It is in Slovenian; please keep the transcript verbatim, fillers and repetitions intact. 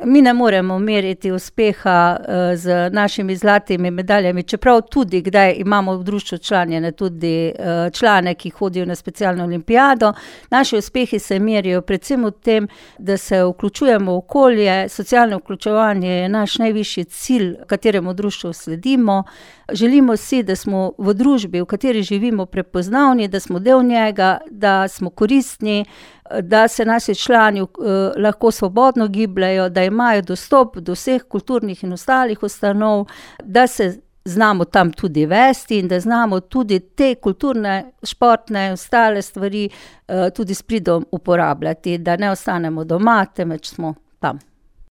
Mi ne moremo meriti uspeha z našimi zlatimi medaljami, čeprav tudi kdaj imamo v društvu članjene tudi člane, ki hodijo na specialno olimpijado. Naši uspehi se merijo predvsem v tem, da se vključujemo v okolje, socialno vključevanje je naš najvišji cilj, kateremu društvu sledimo. Želimo si, da smo v družbi, v kateri živimo, prepoznavni, da smo del njega, da smo koristni, da se naši člani uh, lahko svobodno gibljajo, da imajo dostop do vseh kulturnih in ostalih ustanov, da se znamo tam tudi vesti in da znamo tudi te kulturne, športne in ostale stvari uh, tudi s pridom uporabljati, da ne ostanemo doma, temveč smo tam.